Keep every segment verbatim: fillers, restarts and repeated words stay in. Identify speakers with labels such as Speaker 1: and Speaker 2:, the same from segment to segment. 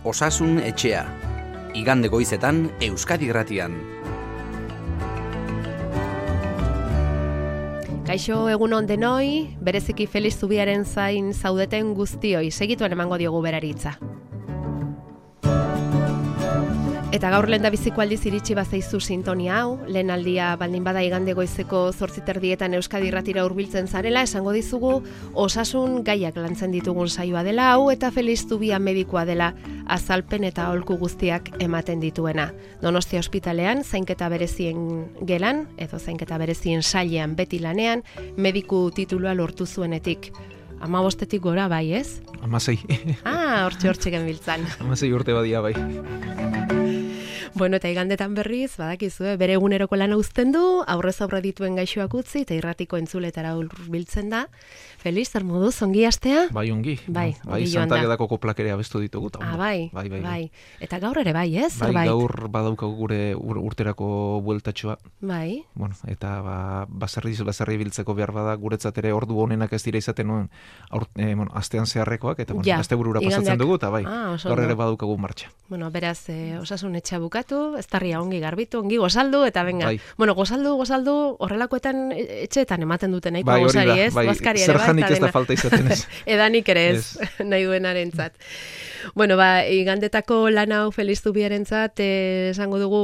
Speaker 1: Osasun etxea. Igande goizetan Euskadi Irratian.
Speaker 2: Kaixo egunon denoi, bereziki Feliz Zubiaren zain zaudeten guztioi, segituen emango diogu beraritza. Eta gaur lehen da biziko aldiz iritsi bazaizu sintonia hau, lehen aldia baldin bada igande goizeko zortzi terdietan Euskadi Irratira hurbiltzen zarela, esango dizugu osasun gaiak lantzen ditugun saioa dela hau, eta Feliz Zubia medikoa dela azalpen eta aholku guztiak ematen dituena. Donostia ospitalean, zainketa berezien gelan, edo zainketa berezien sailean beti lanean, mediku titulua lortu zuenetik. Ama bostetik gora bai, ez?
Speaker 3: Amasei.
Speaker 2: Ah, hortxe hortxe genbiltzan.
Speaker 3: Amasei urte badia bai.
Speaker 2: Bueno, eta igandetan berriz, badakizue, bere eguneroko lana uzten du, aurrez aurre dituen gaixoak utzi, eta irratiko entzuletara hurbiltzen da. Feliz, zer moduz, ongi astea?
Speaker 3: Bai, ongi.
Speaker 2: Bai,
Speaker 3: no? bai Santagedako koplak ere abestu ditugu.
Speaker 2: Ah, bai,
Speaker 3: bai, bai,
Speaker 2: bai. Eta gaur ere bai, ez?
Speaker 3: Bai, zerbait? Gaur badaukagu gure ur, urterako bueltatxoa.
Speaker 2: Bai.
Speaker 3: Bueno, eta ba, baserri, baserri biltzeko behar bada, guretzat ere ordu honenak ez dira izaten nuen, aur, eh, bueno, astean zeharrekoak, eta bueno, ja, aste burura pasatzen dugu, eta bai,
Speaker 2: ah,
Speaker 3: gaur ere badaukagu martxa.
Speaker 2: Bueno, beraz, eh, osasun etxea bukatu, eztarria ongi garbitu, ongi gozaldu, eta benga.
Speaker 3: Bai.
Speaker 2: Bueno, gozaldu, gozaldu, horrelakoetan etxeetan ematen duten, nahiko
Speaker 3: bai,
Speaker 2: gozari, ez?
Speaker 3: Bai, zer janik ez da falta izaten ez.
Speaker 2: Edanik ere ez, yes. Nahi duenarentzat. Bueno, ba, igandetako lan hau Feliz Zubiarentzat, eh, esango dugu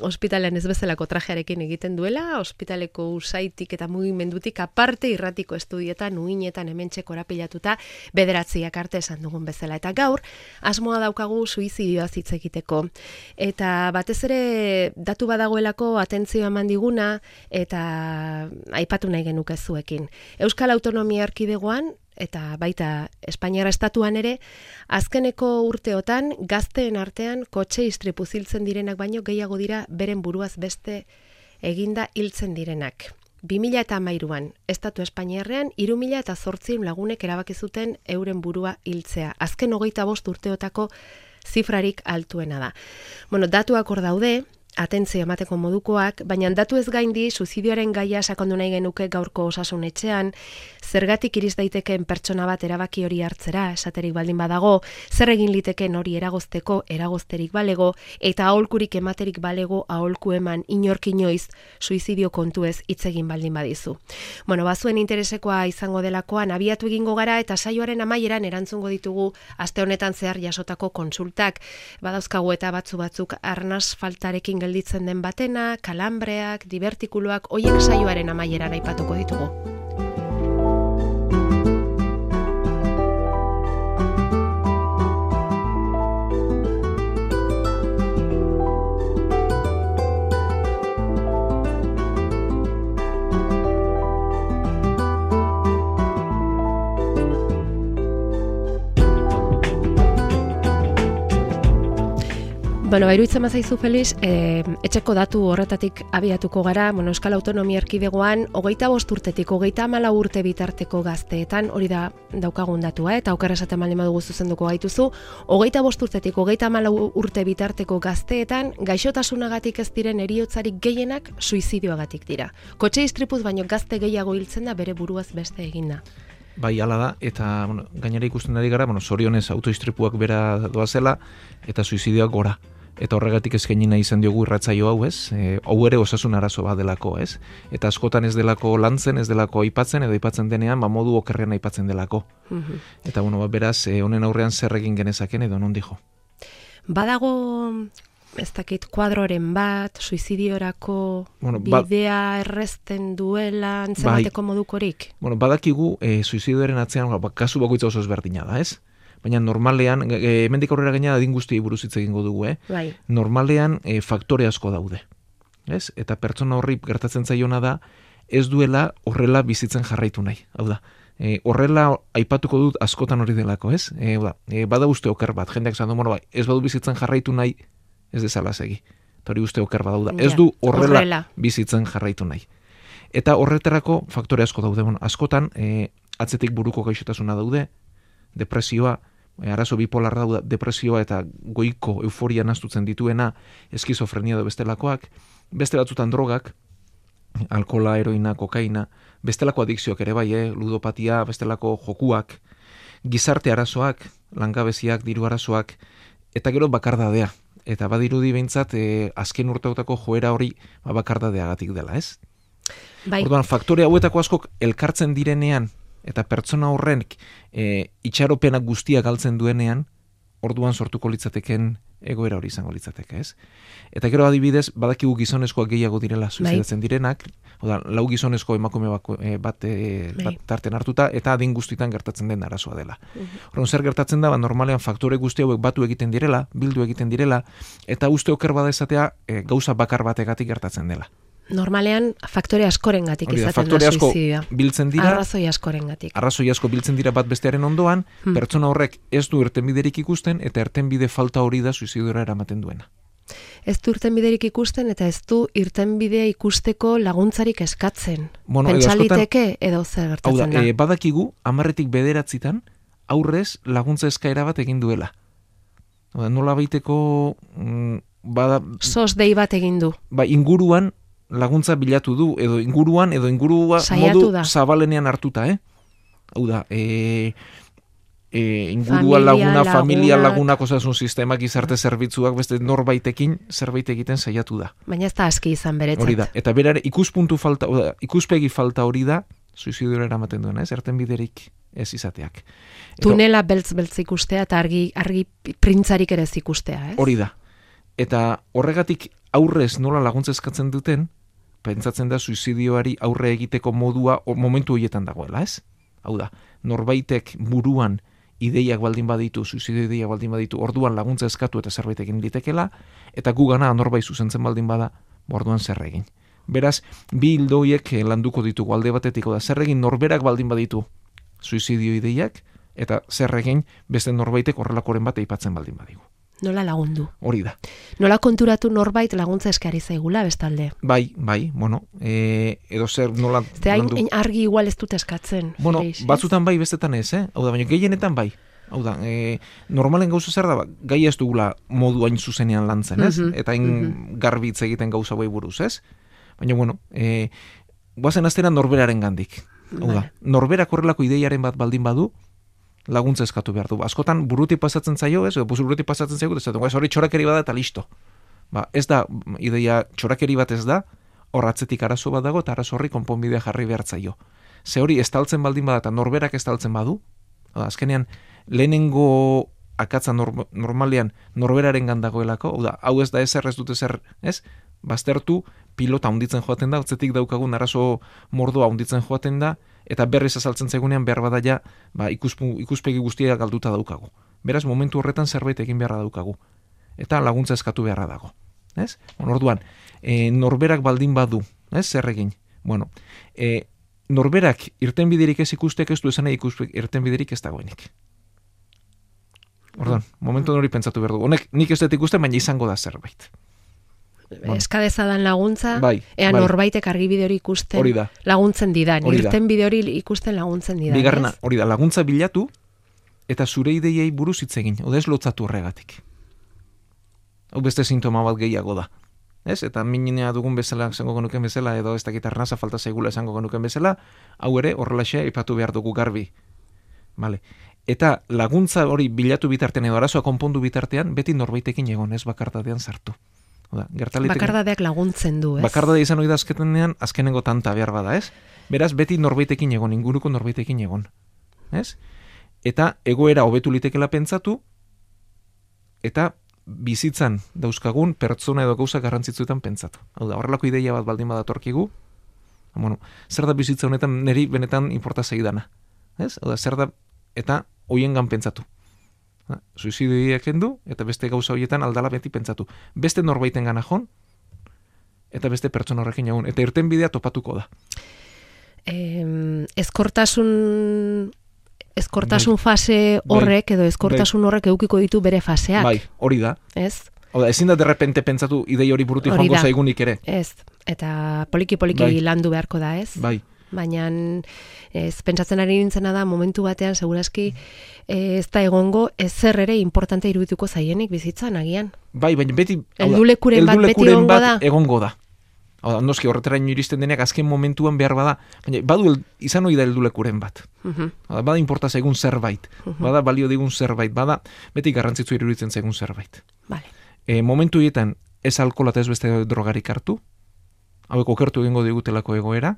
Speaker 2: ospitalean ez bezalako trajearekin egiten duela, ospitaleko usaitik eta mugimendutik aparte irratiko estudietan, uinetan hementxe korapilatuta, bederatziak arte esan dugun bezala. Eta gaur, asmoa daukagu suizidioa hitz egiteko. Eta batez ere datu badagoelako atentzioa eman diguna eta aipatu nahi genuke zuekin. Euskal Autonomia Erkidegoan eta baita Espainiara estatuan ere, azkeneko urteotan gazteen artean kotxe istripu hiltzen direnak baino gehiago dira beren buruaz beste eginda hiltzen direnak. bi mila hamairuan estatu Espainiarrean hiru mila zortziehun lagunek erabaki zuten euren burua hiltzea. Azken hogeita bost urteotako zifrarik altuena da. Bueno, datuak hor daude, atentzio emateko modukoak, baina datu ez gaindi suizidioaren gaia sakondu nahi genuke gaurko osasun etxean, zergatik iriz daitekeen pertsona bat erabaki hori hartzera, esaterik baldin badago, zer egin liteken hori eragozteko, eragozterik balego, eta aholkurik ematerik balego aholku eman inork inoiz suizidio kontuez hitz egin baldin badizu. Bueno, bazuen interesekoa izango delakoan abiatu egingo gara eta saioaren amaieran erantzungo ditugu aste honetan zehar jasotako konsultak, badauzkagu eta batzu batzuk arnas faltarekin gelditzen den batena, kalambreak, divertikuloak, hoiek saioaren amaieran aipatuko ditugu. Bueno, bairuitzen mazaizu, Feliz, eh, etxeko datu horretatik abiatuko gara, bueno, Euskal Autonomia Erkidegoan, hogeita bost urtetik, hogeita hamalau urte bitarteko gazteetan, hori da daukagun datua, eta okerra esaten baldin badugu zuzenduko gaituzu, hogeita bost urtetik, hogeita hamalau urte bitarteko gazteetan, gaixotasunagatik ez diren heriotzarik gehienak suizidioagatik dira. Kotxe istripuz baino gazte gehiago hiltzen da bere buruaz beste eginda.
Speaker 3: Bai, hala da, eta bueno, gainera ikusten ari gara, bueno, zorionez autoistripuak bera doazela, eta suizidioak gora. Eta horregatik eskaini nahi izan diogu irratzaio hau, ez? E, hau ere osasun arazo bat delako, ez? Eta askotan ez delako lantzen, ez delako aipatzen, edo aipatzen denean, ba modu okerrean aipatzen delako. Mm-hmm. Eta bueno, ba, beraz, e, honen aurrean zer egin genezaken edo non dijo.
Speaker 2: Badago, ez dakit, kuadroren bat, suizidiorako bueno, ba, bidea errezten duela antzemateko bai, modukorik?
Speaker 3: Bueno, badakigu, e, suizidioaren atzean, ba, kasu bakoitza oso ezberdina da, ez? Baina normalean, e, hemendik aurrera gaina adin guztiei buruz hitz egingo dugu, eh?
Speaker 2: Bai.
Speaker 3: Normalean e, faktore asko daude. Ez? Eta pertsona horri gertatzen zaiona da, ez duela horrela bizitzen jarraitu nahi. Hau da, e, horrela aipatuko dut askotan hori delako, ez? E, da, e, bada uste oker bat, jendeak esan du, bueno, bai, ez badu bizitzen jarraitu nahi, ez dezala segi. Eta hori uste oker badau da. Ez du horrela, horrela bizitzen jarraitu nahi. Eta horretarako faktore asko daude. Bueno, askotan, e, atzetik buruko gaixotasuna daude, depresioa, arazo bipolar dauda, depresioa eta goiko euforia nastutzen dituena, eskizofrenia edo bestelakoak, beste batzutan drogak, alkola, heroina, kokaina, bestelako adikzioak ere bai, eh? Ludopatia, bestelako jokuak, gizarte arazoak, langabeziak, diru arazoak, eta gero bakardadea. Eta badirudi behintzat, e, azken urteotako joera hori ba, bakardadeagatik dela, ez?
Speaker 2: Bai.
Speaker 3: Orduan, faktore hauetako askok elkartzen direnean, eta pertsona horren e, itxaropenak guztia galtzen duenean, orduan sortuko litzateken egoera hori izango litzateke, ez? Eta gero adibidez, badakigu gizonezkoak gehiago direla suizidatzen bai. direnak, oda, lau gizonezko emakume bako, e, bat, e, bat tarten hartuta, eta adin guztietan gertatzen den arazoa dela. Uh -huh. Orduan, zer gertatzen da, ba, normalean faktore guzti hauek batu egiten direla, bildu egiten direla, eta uste oker bada esatea e, gauza bakar bategatik gertatzen dela.
Speaker 2: Normalean faktore askorengatik izaten da suizidioa.
Speaker 3: Biltzen dira.
Speaker 2: Arrazoi askorengatik.
Speaker 3: Arrazoi asko biltzen dira bat bestearen ondoan, hmm. pertsona horrek ez du irtenbiderik ikusten eta irtenbide falta hori da suizidiora eramaten duena.
Speaker 2: Ez du irtenbiderik ikusten eta ez du irtenbidea ikusteko laguntzarik eskatzen.
Speaker 3: Bueno,
Speaker 2: Pentsaliteke edo zer gertatzen
Speaker 3: da.
Speaker 2: da.
Speaker 3: E, badakigu hamarretik bederatzitan aurrez laguntza eskaera bat egin duela. Oda, nola baiteko mm, bada
Speaker 2: sos dei bat egin du.
Speaker 3: Ba, inguruan laguntza bilatu du, edo inguruan, edo ingurua
Speaker 2: Saiatu
Speaker 3: modu
Speaker 2: da.
Speaker 3: zabalenean hartuta, eh? Hau da, e, e, ingurua
Speaker 2: familia,
Speaker 3: laguna,
Speaker 2: lagunak.
Speaker 3: familia lagunak, osasun sistemak, gizarte zerbitzuak, beste norbaitekin zerbait egiten saiatu da.
Speaker 2: Baina ez da aski izan beretzat.
Speaker 3: Hori da, eta berare ikuspuntu falta, oda, ikuspegi falta hori da, suizidioa eramaten duena, ez? Ertenbiderik ez izateak. Eta,
Speaker 2: tunela beltz-beltz ikustea eta argi, argi printzarik ere ez ikustea, ez?
Speaker 3: Hori da. Eta horregatik aurrez nola laguntza eskatzen duten, pentsatzen da suizidioari aurre egiteko modua o, momentu horietan dagoela, ez? Hau da, norbaitek buruan ideiak baldin baditu, suizidio ideiak baldin baditu, orduan laguntza eskatu eta zerbait egin litekela, eta gu gana norbait zuzentzen baldin bada, orduan zer egin. Beraz, bi hildoiek landuko ditugu alde batetik, da zer egin norberak baldin baditu suizidio ideiak, eta zer egin beste norbaitek horrelakoren bat aipatzen baldin badigu.
Speaker 2: Nola lagundu.
Speaker 3: Hori da.
Speaker 2: Nola konturatu norbait laguntza eskari zaigula bestalde.
Speaker 3: Bai, bai, bueno, e, edo zer nola...
Speaker 2: Zte hain argi igual ez dut eskatzen.
Speaker 3: Bueno,
Speaker 2: Felix,
Speaker 3: batzutan bai, bestetan ez, eh? Hau da, baina gehienetan bai. Hau da, e, normalen gauza zer da, ba, gai ez dugula modu hain zuzenean lantzen, ez? Mm-hmm. Eta hain mm-hmm. garbitz egiten gauza bai buruz, ez? Baina, bueno, e, guazen aztera norberaren gandik. Hau da, norberak horrelako ideiaren bat baldin badu, laguntza eskatu behar du. Askotan buruti pasatzen zaio, ez? Edo buruti pasatzen zaio, ez da, hori txorakeri bada eta listo. Ba, ez da, ideia txorakeri bat ez da, hor atzetik arazo bat dago, eta arazo horri konponbidea jarri behar zaio. Ze hori estaltzen baldin bada, eta norberak estaltzen badu, da, azkenean, lehenengo akatza norm, normalean norberaren gandagoelako, hau da, hau ez da ezer ez dut ezer, ez? Baztertu, pilota hunditzen joaten da, atzetik daukagun arazo mordoa hunditzen joaten da, eta berriz azaltzen zaigunean behar bada ja, ba, ikuspu, ikuspegi guztia galduta daukagu. Beraz, momentu horretan zerbait egin beharra daukagu. Eta laguntza eskatu beharra dago. Ez? Bueno, orduan, e, norberak baldin badu, ez? Zer egin? Bueno, e, norberak irtenbiderik ez ikustek ez du esan ikuspek irtenbiderik ez dagoenik. Orduan, momentu hori pentsatu behar du. Honek nik ez dut ikusten, baina izango da zerbait.
Speaker 2: Eskadezadan laguntza,
Speaker 3: bai,
Speaker 2: ea
Speaker 3: bai.
Speaker 2: Norbaitek argibide hori ikusten laguntzen didan, irten bide hori ikusten laguntzen didan.
Speaker 3: Bigarrena, hori da, laguntza bilatu eta zure ideiei buruz hitz egin, oda ez lotzatu horregatik. Hau beste sintoma bat gehiago da. Ez? Eta minina dugun bezala, esango genuken bezala, edo ez dakit arnaza falta zaigula esango genuken bezala, hau ere horrelaxe aipatu behar dugu garbi. Vale. Eta laguntza hori bilatu bitartean edo arazoa konpondu bitartean, beti norbaitekin egon, ez bakardadean sartu. Oda,
Speaker 2: bakardadeak laguntzen du, ez?
Speaker 3: Bakardadea izan hori da azkenean, azkenengo tanta behar bada, ez? Beraz, beti norbaitekin egon, inguruko norbaitekin egon. Ez? Eta egoera hobetu litekela pentsatu, eta bizitzan dauzkagun pertsona edo gauza garrantzitsuetan pentsatu. Hau da, horrelako ideia bat baldin badatorkigu, bueno, zer da bizitza honetan niri benetan inporta zaidana. Ez? Hau da, zer da, eta hoiengan pentsatu. Suizidioa kendu, eta beste gauza horietan aldala beti pentsatu. Beste norbaiten gana jon, eta beste pertsona horrekin egun. Eta irten bidea topatuko da.
Speaker 2: Eh, ezkortasun ezkortasun bai. Fase horrek, bai. Edo ezkortasun horrek eukiko ditu bere faseak.
Speaker 3: Bai, hori da.
Speaker 2: Ez?
Speaker 3: Oda, ezin da derrepente pentsatu idei hori burutik joango zaigunik ere.
Speaker 2: Ez, eta poliki-poliki bai. Landu beharko da, ez?
Speaker 3: Bai.
Speaker 2: Baina ez pentsatzen ari nintzena da momentu batean segurazki ez da egongo ezer ere importante irudituko zaienik bizitzan agian.
Speaker 3: Bai, baina beti
Speaker 2: heldulekuren bat beti egongo da.
Speaker 3: Egongo da. Hau da, noski horretaraino iristen deneak azken momentuan behar bada, baina badu el, izan hori da heldulekuren bat.
Speaker 2: Mhm.
Speaker 3: Hau da, bada inporta zaigun zerbait,
Speaker 2: Mhm.
Speaker 3: bada balio digun zerbait, bada beti garrantzitzu iruditzen zaigun zerbait.
Speaker 2: Vale.
Speaker 3: E, momentu hietan ez alkohola eta ez beste drogarik hartu, hauek okertu egingo digutelako egoera.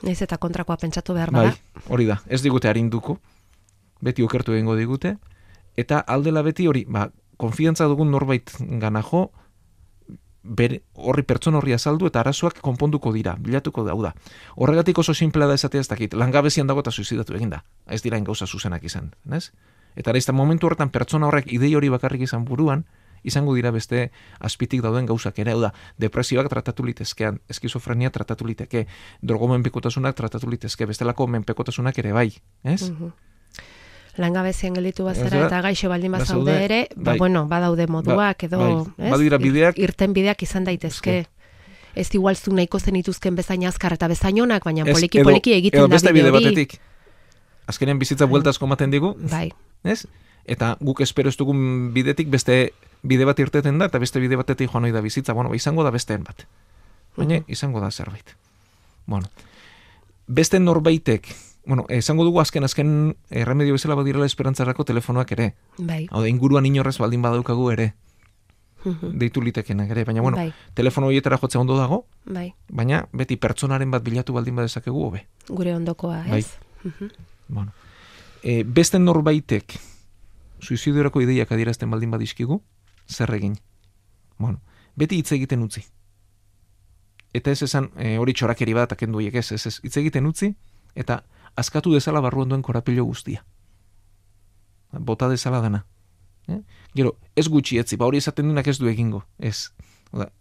Speaker 2: Naiz eta kontrakoa pentsatu behar
Speaker 3: Bai,
Speaker 2: bada.
Speaker 3: hori da, ez digute arinduko, beti okertu egingo digute, eta aldela beti hori, ba, konfiantza dugun norbait gana jo, bere, horri pertsona horri azaldu eta arazoak konponduko dira, bilatuko da, hau da. Horregatik oso simplea da esatea ez dakit, langabezian dago eta suizidatu egin da, ez dira gauza zuzenak izan, nez? Eta araizta momentu horretan pertsona horrek idei hori bakarrik izan buruan, izango dira beste azpitik dauden gauzak ere, hau da, depresioak tratatu litezkean, eskizofrenia tratatu liteke, drogomenpekotasunak tratatu litezke, bestelako menpekotasunak ere bai, ez?
Speaker 2: Mhm. Langabezian gelditu bazara
Speaker 3: Ez da,
Speaker 2: eta gaixo baldin bazaude
Speaker 3: bazaude,
Speaker 2: ere, ba,
Speaker 3: bai.
Speaker 2: bueno, badaude moduak edo,
Speaker 3: bai.
Speaker 2: ez?
Speaker 3: Badira bideak.
Speaker 2: Ir- irten bideak izan daitezke. Ez igual zu nahiko zenituzken bezain azkar eta bezain onak, baina
Speaker 3: Ez,
Speaker 2: poliki
Speaker 3: edo-
Speaker 2: poliki egiten
Speaker 3: edo
Speaker 2: da
Speaker 3: beste
Speaker 2: bide
Speaker 3: bide
Speaker 2: hori.
Speaker 3: batetik. Azkenean bizitza buelta asko ematen digu,
Speaker 2: Bai.
Speaker 3: ez? Eta guk espero ez dugun bidetik beste bide bat irteten da, eta beste bide batetik joan ohi da bizitza, bueno, izango da besteen bat. Baina
Speaker 2: Mhm.
Speaker 3: izango da zerbait. Bueno, beste norbaitek, bueno, esango dugu azken azken erremedio bezala badirela esperantzarako telefonoak ere.
Speaker 2: Bai.
Speaker 3: Hau da, inguruan inorrez baldin badaukagu ere,
Speaker 2: Mhm.
Speaker 3: deitu litekenak ere, baina bueno,
Speaker 2: Bai.
Speaker 3: telefono horietara jotzea ondo dago,
Speaker 2: Bai.
Speaker 3: baina beti pertsonaren bat bilatu baldin badezakegu hobe.
Speaker 2: Gure ondokoa,
Speaker 3: Bai.
Speaker 2: ez? Mhm.
Speaker 3: Bueno, e, beste norbaitek suizidiorako ideiak adierazten baldin badizkigu, zer egin? Bueno, beti hitz egiten utzi. Eta ez esan, e, hori txorakeri bat akendu horiek ez, ez, ez, hitz egiten utzi, eta askatu dezala barruan duen korapilo guztia. Bota dezala dana. Eh? Gero, ez gutxi etzi, ba hori esaten duenak ez du egingo, ez. Oda,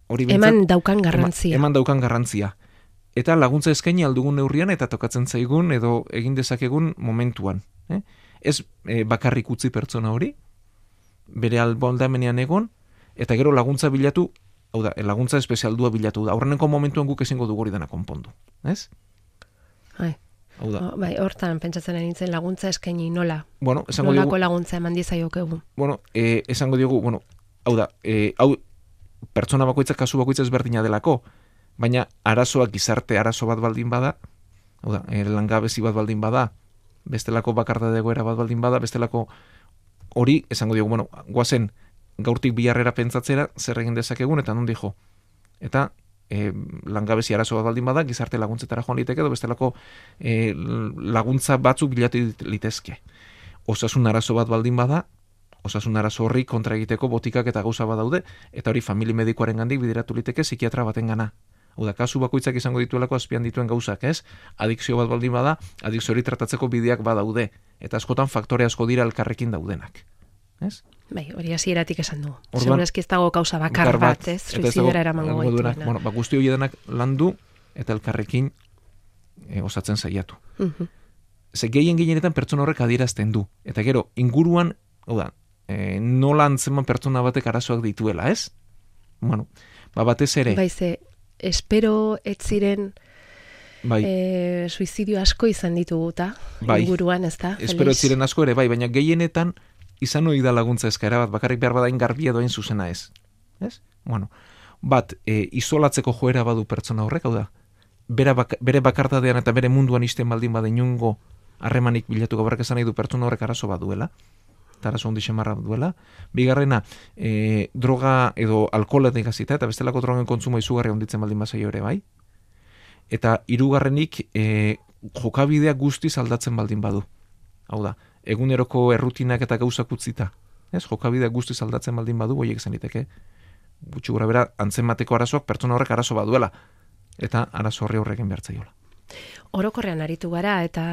Speaker 3: hori behintzat-
Speaker 2: Eman daukan garrantzia.
Speaker 3: Eman, eman daukan garrantzia. Eta laguntza eskaini aldugun neurrian eta tokatzen zaigun edo egin dezakegun momentuan. Eh? Ez e, bakarrik utzi pertsona hori, bere albondamenean egon, eta gero laguntza bilatu, hau da, laguntza espezialdua bilatu da. Aurreneko momentuan guk ezingo dugu hori dena konpondu. Ez?
Speaker 2: Bai.
Speaker 3: Hau da.
Speaker 2: Oh, bai, hortan pentsatzen ari nintzen laguntza eskaini nola.
Speaker 3: Bueno, esango
Speaker 2: Nolako
Speaker 3: diogu,
Speaker 2: laguntza eman diezaiokegu.
Speaker 3: bueno, e, esango diogu, bueno, hau da, e, hau pertsona bakoitza, kasu bakoitza ezberdina delako, baina arazoak gizarte arazo bat baldin bada, hau da, e, langabezi bat baldin bada, bestelako bakardade egoera bat baldin bada, bestelako hori, esango diogu, bueno, guazen gaurtik biharrera pentsatzera, zer egin dezakegun, eta non dijo. Eta e, langabezi arazo bat baldin bada, gizarte laguntzetara joan liteke, edo bestelako e, laguntza batzuk bilatu litezke. Osasun arazo bat baldin bada, osasun arazo horri kontra egiteko botikak eta gauza badaude, eta hori famili medikoaren gandik bideratu liteke psikiatra baten gana. Hau da, kasu bakoitzak izango dituelako azpian dituen gauzak, ez? Adikzio bat baldin bada, adikzio hori tratatzeko bideak badaude, eta askotan faktore asko dira elkarrekin daudenak. Ez?
Speaker 2: Bai, hori hasieratik esan du.
Speaker 3: Orduan-
Speaker 2: Segurazki ez dago kausa bakar
Speaker 3: Bakar
Speaker 2: bat,
Speaker 3: bat,
Speaker 2: ez?
Speaker 3: eta ez dago
Speaker 2: Suizidera eramango
Speaker 3: emango duenak.
Speaker 2: gaituena.
Speaker 3: Bueno, ba, guzti hori denak landu eta elkarrekin e, osatzen saiatu.
Speaker 2: Mhm.
Speaker 3: Ze gehien gehienetan pertsona horrek adierazten du. Eta gero, inguruan, hau da, e, nola antzeman pertsona batek arazoak dituela, ez? Bueno, ba, batez ere,
Speaker 2: Bai, ze, espero ez ziren
Speaker 3: bai,
Speaker 2: e, suizidio asko izan dituguta,
Speaker 3: Bai.
Speaker 2: inguruan, ez da?
Speaker 3: espero ez ziren asko ere, bai, baina gehienetan izan hori da laguntza eskaera bat, bakarrik behar badain garbia doain zuzena ez. Ez? Bueno, bat, e, isolatzeko joera badu pertsona horrek, hau da, bere, bak, bere bakardadean eta bere munduan isten baldin bada inungo harremanik bilatu gabarrak esan nahi du pertsona horrek arazo bat duela, eta arazo hondi xemarra duela. Bigarrena, e, droga edo alkoholetik hasita eta bestelako drogen kontsumo izugarri honditzen baldin bazaio ere bai. Eta hirugarrenik e, jokabidea guztiz aldatzen baldin badu. Hau da, eguneroko errutinak eta gauzak utzita. Ez, jokabidea guztiz aldatzen baldin badu, hoiek zen liteke. Gutxi gura bera, antzemateko arazoak pertsona horrek arazo baduela. Eta arazo horri horrekin behartzaiola.
Speaker 2: Orokorrean aritu gara eta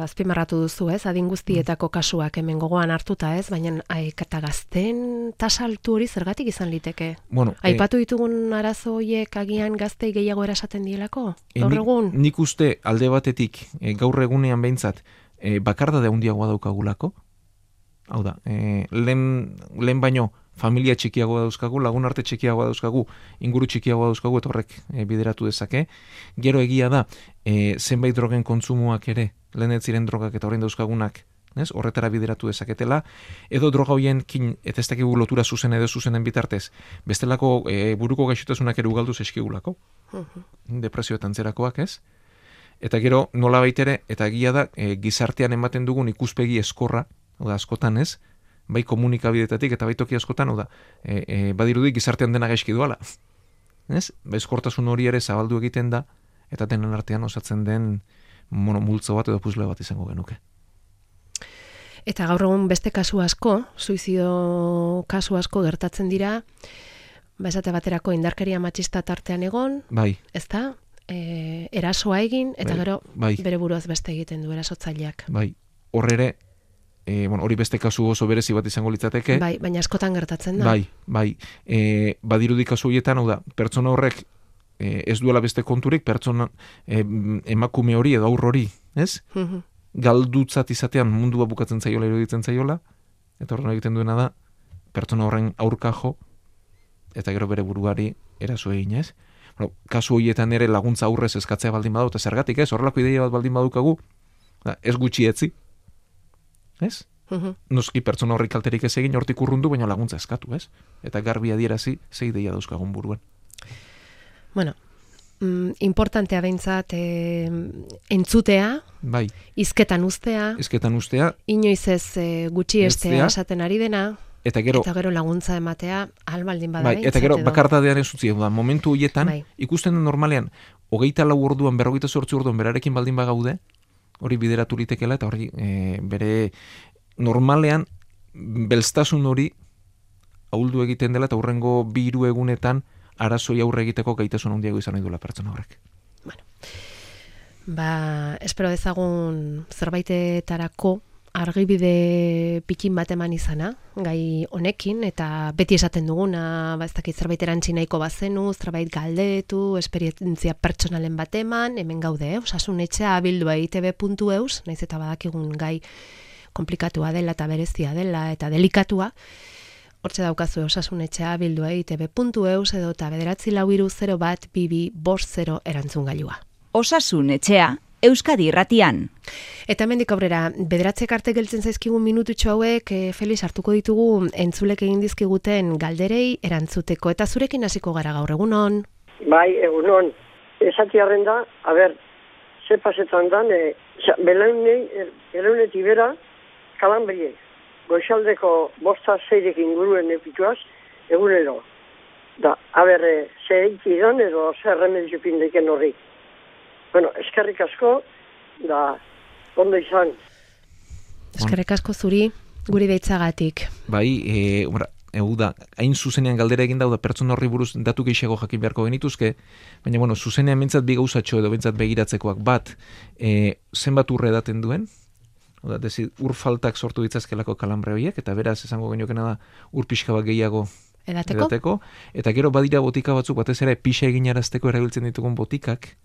Speaker 2: azpimarratu duzu, ez? Adin guztietako kasuak hemen gogoan hartuta, ez? Baina eta gazten tasa altu hori zergatik izan liteke?
Speaker 3: Bueno,
Speaker 2: Aipatu ditugun arazo horiek agian gaztei gehiago erasaten dielako?
Speaker 3: e,
Speaker 2: Gaur
Speaker 3: nik,
Speaker 2: egun?
Speaker 3: nik uste alde batetik e, gaur egunean behintzat e, bakardade handiagoa daukagulako. Hau da, e, lehen, lehen baino familia txikiagoa dauzkagu, lagun arte txikiagoa dauzkagu, inguru txikiagoa dauzkagu, eta horrek e, bideratu dezake. Gero egia da, e, zenbait drogen kontsumoak ere, lehen ez ziren drogak eta horrein dauzkagunak, ez? Horretara bideratu dezaketela, edo droga hoienkin eta ez dakigu lotura zuzen edo zuzenen bitartez, bestelako e, buruko gaixotasunak ere ugaldu zaizkigulako, depresio eta antzerakoak, ez? Eta gero nola baitere, eta egia da, e, gizartean ematen dugun ikuspegi eskorra, oda askotan ez, bai komunikabidetatik eta bai toki askotan, oda, e, e, badirudi gizartean dena gaizki duala. Ez? Ba, eskortasun hori ere zabaldu egiten da, eta denen artean osatzen den mono, multzo bat edo puzle bat izango genuke.
Speaker 2: Eta gaur egun beste kasu asko, suizido kasu asko gertatzen dira, ba esate baterako indarkeria matxista tartean egon,
Speaker 3: bai.
Speaker 2: ezta? E, erasoa egin, eta
Speaker 3: bai.
Speaker 2: gero
Speaker 3: bai.
Speaker 2: bere buruaz beste egiten du erasotzaileak.
Speaker 3: Bai, horre e, bueno, hori beste kasu oso berezi bat izango litzateke.
Speaker 2: Bai, baina askotan gertatzen da.
Speaker 3: Bai, bai. E, badirudi kasu horietan, hau da, pertsona horrek e, ez duela beste konturik, pertsona e, emakume hori edo aur hori, ez?
Speaker 2: Mhm.
Speaker 3: Galdutzat izatean mundua bukatzen zaiola, iruditzen zaiola, eta horren egiten duena da, pertsona horren aurka jo, eta gero bere buruari eraso egin, ez? Bueno, kasu horietan ere laguntza aurrez eskatzea baldin badu, eta zergatik, ez? Horrelako ideia bat baldin badukagu, da, ez gutxi etzi, ez?
Speaker 2: Mhm.
Speaker 3: Noski pertsona horrik kalterik ez egin hortik urrundu, baina laguntza eskatu, ez? Eta garbi adierazi, ze ideia dauzkagun buruan.
Speaker 2: Bueno, mm, importantea behintzat e, entzutea,
Speaker 3: Bai,
Speaker 2: hizketan uztea,
Speaker 3: ezketan ustea,
Speaker 2: inoiz ez e, gutxi estea
Speaker 3: Estea.
Speaker 2: esaten ari dena,
Speaker 3: eta gero,
Speaker 2: eta gero laguntza ematea, albaldin bada
Speaker 3: bai, eta
Speaker 2: behintzat
Speaker 3: gero
Speaker 2: edo.
Speaker 3: bakardadean ez utzi, da, momentu horietan,
Speaker 2: Bai.
Speaker 3: ikusten den normalean, hogeita lau orduan, berrogeita zortzi orduan berarekin baldin bagaude, hori bideratu litekela, eta hori e, bere normalean, belztasun hori ahuldu egiten dela, eta hurrengo bi hiru egunetan, arazoi aurre egiteko gaitasun handiago izan nahi duela pertsona horrek.
Speaker 2: Ba, espero dezagun zerbaitetarako argibide pikin bat eman izana, gai honekin, eta beti esaten duguna, ba, ez dakit zerbait erantzi nahiko bazenu, zerbait galdetu, esperientzia pertsonalen bat eman, hemen gaude, eh? Osasun etxea abildua i te be puntu eus, naiz eta badakigun gai komplikatua dela eta berezia dela eta delikatua, hortxe daukazu osasun etxea abildua i te be puntu eus edo eta bederatzi lau hiru zero bat bi bi bost zero erantzun gailua.
Speaker 4: Osasun etxea, Euskadi Irratian.
Speaker 2: Eta hemendik aurrera, bederatzek arte geltzen zaizkigun minututxo hauek, e, Felix, hartuko ditugu entzulek egin dizkiguten galderei erantzuteko. Eta zurekin hasiko gara gaur, egunon?
Speaker 5: Bai, egunon. Esatiarren da, a ber, ze pasetan dan, e, belaunei, belaunetik bera, kalambrie. Goizaldeko bosta zeirek inguruen epituaz, egunero. Da, a ber, e, ze eiki dan edo zer remedio pindeken horri. Bueno, eskerrik asko, da, ondo izan.
Speaker 2: Eskerrik asko zuri, guri deitzagatik.
Speaker 3: Bai, e, ora, egu da, hain zuzenean galdera egin dauda pertsona horri buruz datu gehiago jakin beharko genituzke, baina, bueno, zuzenean bintzat bi gauzatxo edo bintzat begiratzekoak bat, e, zenbat urre edaten duen, oda, dezi, ur faltak sortu ditzazkelako kalambre horiek, eta beraz esango geniokena da ur pixka bat gehiago
Speaker 2: Edateko?
Speaker 3: edateko, eta gero badira botika batzuk, batez ere pixa eginarazteko erabiltzen ditugun botikak,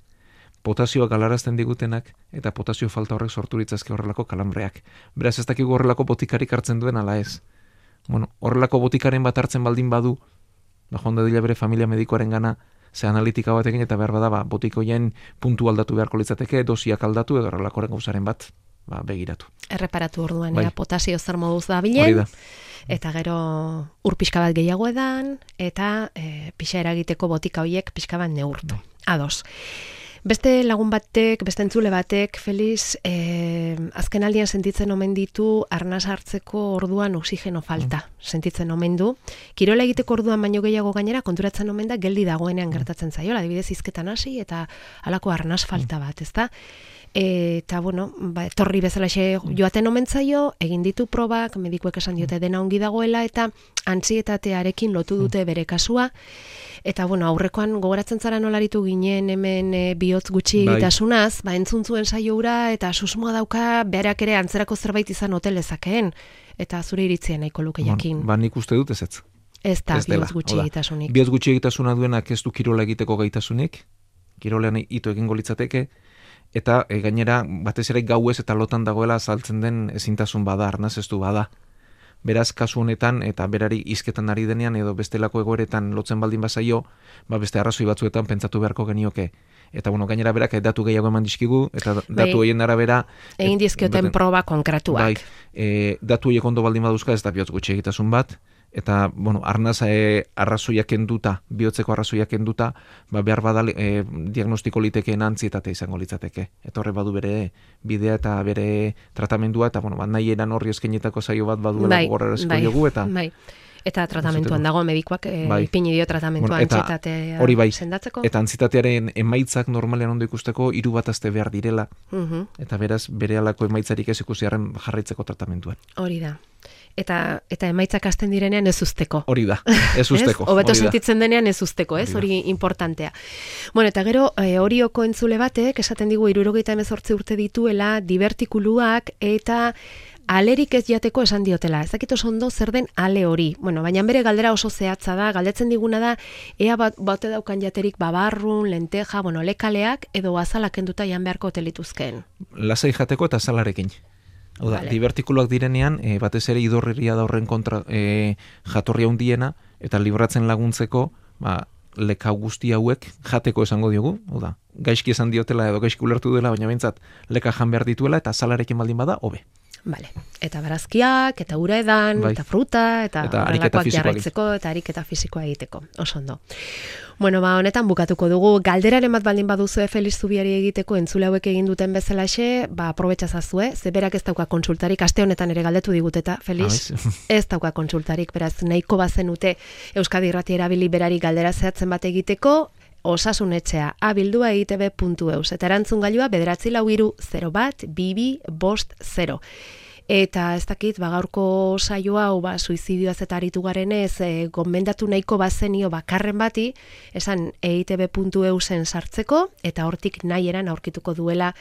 Speaker 3: potasioa galarazten digutenak, eta potasio falta horrek sortu ditzazke horrelako kalambreak. Beraz ez dakigu horrelako botikarik hartzen duen ala ez. Bueno, horrelako botikaren bat hartzen baldin badu, ba, joan dadila bere familia medikoaren gana, ze analitika batekin eta behar bada, ba, botikoien puntu aldatu beharko litzateke, dosiak aldatu edo horrelakoren gauzaren bat, ba, begiratu.
Speaker 2: Erreparatu orduan,
Speaker 3: Bai.
Speaker 2: ea, potasio zer moduz da
Speaker 3: Hori
Speaker 2: bilen,
Speaker 3: da.
Speaker 2: eta gero ur pixka bat gehiago edan, eta e, pixa eragiteko botika horiek pixka bat neurtu. Ados. Beste lagun batek, beste entzule batek, Felix, eh, azken aldian sentitzen omen ditu arnaz hartzeko orduan oxigeno falta. Sentitzen omen du. Kirola egiteko orduan baino gehiago gainera konturatzen omen da geldi dagoenean gertatzen zaiola. Adibidez hizketan hasi eta halako arnaz falta bat, ezta? Eta, bueno, ba, etorri bezalaxe joaten omen zaio, egin ditu probak, medikuek esan diote dena ongi dagoela, eta antsietatearekin lotu dute bere kasua. Eta, bueno, aurrekoan gogoratzen zara nolaritu ginen hemen e, bihotz gutxi
Speaker 3: Bai.
Speaker 2: egitasunaz, ba, entzun zuen saio hura, eta susmoa dauka berak ere antzerako zerbait izan ote lezakeen. Eta zure iritzia nahiko luke jakin.
Speaker 3: Ba, nik uste dut ez ez.
Speaker 2: Ez da
Speaker 3: Ez dela,
Speaker 2: bihotz gutxi
Speaker 3: hau da.
Speaker 2: egitasunik.
Speaker 3: Bihotz gutxi egitasuna duenak ez du kirola egiteko gaitasunik, kirolean ito egingo litzateke, eta e, gainera batez ere gauez eta lotan dagoela azaltzen den ezintasun bada, arnaz ez du bada. Beraz, kasu honetan, eta berari hizketan ari denean, edo bestelako egoeretan lotzen baldin bazaio, ba beste arrazoi batzuetan pentsatu beharko genioke. Eta, bueno, gainera berak datu gehiago eman dizkigu, eta datu
Speaker 2: bai,
Speaker 3: horien arabera...
Speaker 2: Egin dizkioten proba konkretuak.
Speaker 3: Bai, e, datu horiek ondo baldin baduzka, ez da bihotz gutxi egitasun bat, eta, bueno, arnaz e, arrazoiak kenduta, bihotzeko arrazoiak kenduta, ba, behar badal e, diagnostiko litekeen antzietate izango litzateke. Eta horre badu bere bidea eta bere tratamendua, eta, bueno, ba, nahi eran horri eskenetako zaio bat baduela
Speaker 2: bai,
Speaker 3: gogorrezko
Speaker 2: bai,
Speaker 3: diogu, eta...
Speaker 2: Bai. Eta tratamentuan dago medikoak e,
Speaker 3: bai,
Speaker 2: ipini dio tratamentua
Speaker 3: bueno,
Speaker 2: antsietatea
Speaker 3: hori bai,
Speaker 2: sendatzeko.
Speaker 3: Eta antsietatearen emaitzak normalean ondo ikusteko hiru bat aste behar direla.
Speaker 2: Uh-huh.
Speaker 3: Eta beraz berehalako emaitzarik ez ikusiarren jarraitzeko tratamentuan.
Speaker 2: Hori da. Eta eta emaitzak hasten direnean ez usteko.
Speaker 3: Hori da, ez usteko.
Speaker 2: Hobeto sentitzen denean ez usteko, ez? Hori importantea. Bueno, eta gero e, Orioko entzule batek esaten digu hirurogeita hemezortzi urte dituela, divertikuluak eta alerik ez jateko esan diotela. Ez dakit oso ondo zer den ale hori. Bueno, baina bere galdera oso zehatza da, galdetzen diguna da ea bat bate daukan jaterik babarrun, lenteja, bueno, lekaleak edo azalak kenduta jan beharko telituzkeen.
Speaker 3: Lasai jateko eta azalarekin. Hau da, vale. Divertikuluak direnean, e, batez ere idorriria da horren kontra e, jatorria hundiena, eta libratzen laguntzeko, ba, leka guzti hauek jateko esango diogu, hau da, gaizki esan diotela edo gaizki ulertu dela, baina behintzat leka jan behar dituela, eta azalarekin baldin bada, hobe.
Speaker 2: Vale. Eta barazkiak, eta ura edan, bai, eta fruta, eta,
Speaker 3: eta ariketa
Speaker 2: jarraitzeko, eta ariketa fisikoa egiteko. Oso ondo. Bueno, ba, honetan bukatuko dugu. Galderaren bat baldin baduzu Felix Zubiari egiteko entzule hauek egin duten bezalaxe, ba, aprobetxazazue, ze berak ez dauka kontsultarik, aste honetan ere galdetu diguteta, Felix, ez dauka kontsultarik, beraz, nahiko bazenute Euskadi Irrati erabili berari galdera zehatzen bat egiteko, Osasun etxea, abildua e i te be puntu eus, eta erantzun gailua bederatzi lau hiru zero bat, bibi, bost, zero. Eta ez dakit, ba, gaurko saio hau, ba, suizidioaz eta aritu garenez, e, gomendatu nahiko bazenio bakarren bati, esan e i te be puntu eusen sartzeko, eta hortik nahi eran aurkituko duela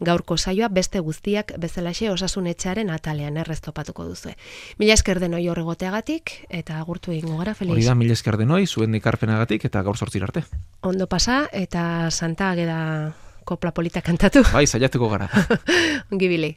Speaker 2: gaurko saioa, beste guztiak bezalaxe Osasun etxearen atalean erreztopatuko duzue. Mila esker denoi horregoteagatik, eta agurtu egingo gara, Felix.
Speaker 3: Hori da, mila esker denoi, zuen ikarpenagatik, eta gaur zortzir arte.
Speaker 2: Ondo pasa, eta Santa Ageda kopla polita kantatu.
Speaker 3: Bai, saiatuko gara.
Speaker 2: Ongi bili.